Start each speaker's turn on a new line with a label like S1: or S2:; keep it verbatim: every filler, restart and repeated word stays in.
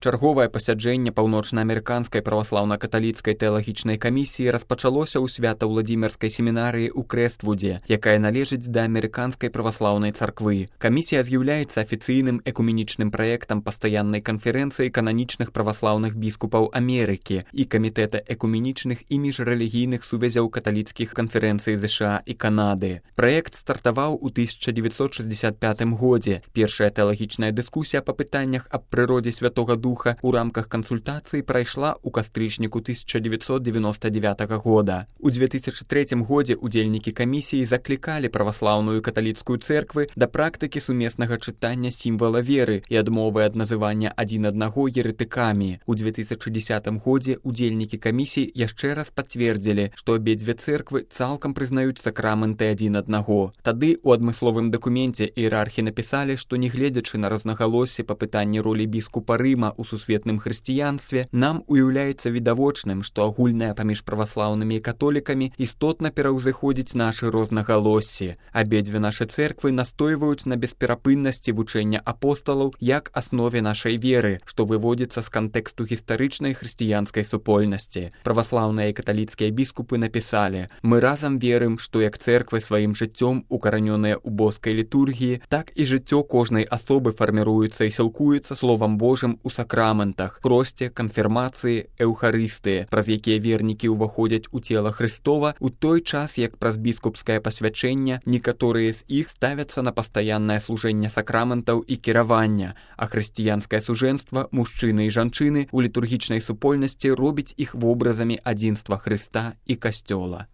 S1: Чарговае пасяджэнне паўночнаамерыканскай праваслаўна-каталіцкай тэалагічнай камісіі распачалося ў свята-ўладзімірскай семінарыі ў Крэствудзе, якая належыць да амерыканскай праваслаўнай царквы. Камісія з'яўляецца афіцыйным экуменічным праектам пастаяннай канферэнцыі кананічных праваслаўных біскупаў Амерыкі і камітэта экуменічных і міжрэлігійных сувязяў каталіцкіх канферэнцый ЗША і Канады. Праект стартаваў у тысяча дзевяцьсот шэсцьдзясят пятым годзе. Першая тэалагічная дыскусія па пытаннях аб прыродзе Святога Духа у рамках кансультацыі прайшла ў кастрычніку тысяча дзевяцьсот дзевяноста дзевятага года. У дзве тысячы трэцім годзе удзельнікі камісіі заклікалі праваслаўную каталіцкую цэрквы да практыкі сумеснага чытання сімвала веры і адмовы ад называння адзін аднаго ерэтыкамі. У дзве тысячы дзесятым годзе удзельнікі камісіі яшчэ раз пацвердзілі, што абедзве цэрквы цалкам прызнаюць сакрамэнты адзін аднаго. Тады у адмысловым дакуменце іерархі напісалі, што нягледзячы на рознагалоссі па пытанні ролі біскупа Рыма у сусветным хрысціянстве, нам уяўляецца відавочным, што агульнае паміж праваслаўнымі і католікамі істотна пераўзыходзіць нашы рознагалоссі. Абедзве нашы цэрквы настойваюць на бесперапыннасці вучэння апосталаў як аснове нашай веры, што выводзіцца з кантэксту гістарычнай хрысціянскай супольнасці. Праваслаўныя і каталіцкія біскупы напісалі: «Мы разам верым, што як цэрквы сваім жыццём укаранёныя ў боскай літургіі, так і жыццё кожнай асобы фарміруецца і сілкуецца Словам Божым у сакраментах, кросце, канфірмацыі, эўхарыстыі, праз якія вернікі ўваходзяць у цела Хрыстова, у той час, як праз біскупскае пасвячэнне некаторыя з іх ставяцца на пастаяннае служэнне сакраментаў і кіравання, а хрысціянскае сужэнства, мужчыны і жанчыны у літургічнай супольнасці робіць іх вобразамі адзінства Хрыста і Касцёла».